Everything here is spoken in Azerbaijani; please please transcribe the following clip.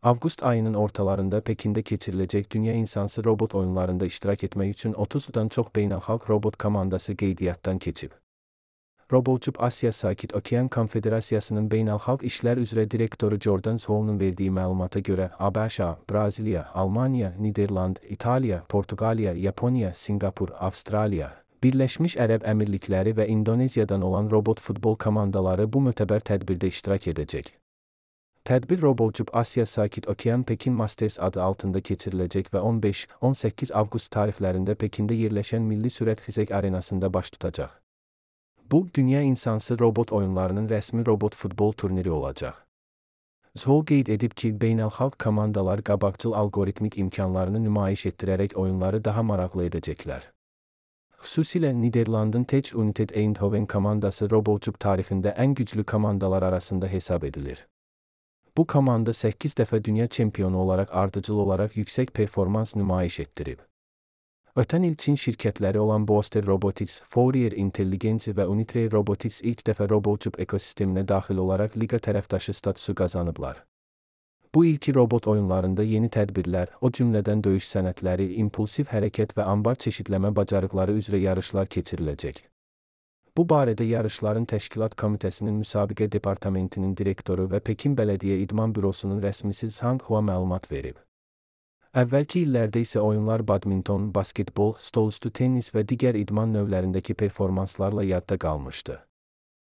Avqust ayının ortalarında Pekində keçiriləcək Dünya İnsansı Robot oyunlarında iştirak etmək üçün 30-dan çox beynəlxalq robot komandası qeydiyyatdan keçib. Robocub Asiya Sakit Okean Konfederasiyasının beynəlxalq işlər üzrə direktoru Jordan Zhou'nun verdiyi məlumata görə ABŞ, Braziliya, Almaniya, Niderland, İtaliya, Portuqaliya, Yaponiya, Singapur, Avstraliya, Birləşmiş Ərəb Əmirlikləri və İndoneziyadan olan robot futbol komandaları bu mötəbər tədbirdə iştirak edəcək. Tədbir Robocub Asiya Sakit Okean Pekin Masters adı altında keçiriləcək və 15-18 avqust tarixlərində Pekində yerləşən Milli Sürət Xizək Arenasında baş tutacaq. Bu, Dünya İnsansı robot oyunlarının rəsmi robot futbol turniri olacaq. Zhou qeyd edib ki, beynəlxalq komandalar qabaqcıl alqoritmik imkanlarını nümayiş etdirərək oyunları daha maraqlı edəcəklər. Xüsusilə Niderlandın Tech United Eindhoven komandası Robocub tarixində ən güclü komandalar arasında hesab edilir. Bu komanda 8 dəfə dünya çempionu olaraq ardıcıl olaraq yüksək performans nümayiş etdirib. Ötən il Çin şirkətləri olan Booster Robotics, Fourier Intelligence və Unitree Robotics ilk dəfə Robocub ekosisteminə daxil olaraq liqa tərəfdaşı statusu qazanıblar. Bu ilki robot oyunlarında yeni tədbirlər, o cümlədən döyüş sənətləri, impulsiv hərəkət və ambar çeşidləmə bacarıqları üzrə yarışlar keçiriləcək. Bu barədə yarışların təşkilat komitəsinin müsabiqə departamentinin direktoru və Pekin Bələdiyyə İdman Bürosunun rəsmisi Zhang Hua məlumat verib. Əvvəlki illərdə isə oyunlar badminton, basketbol, stolüstü tennis və digər idman növlərindəki performanslarla yadda qalmışdı.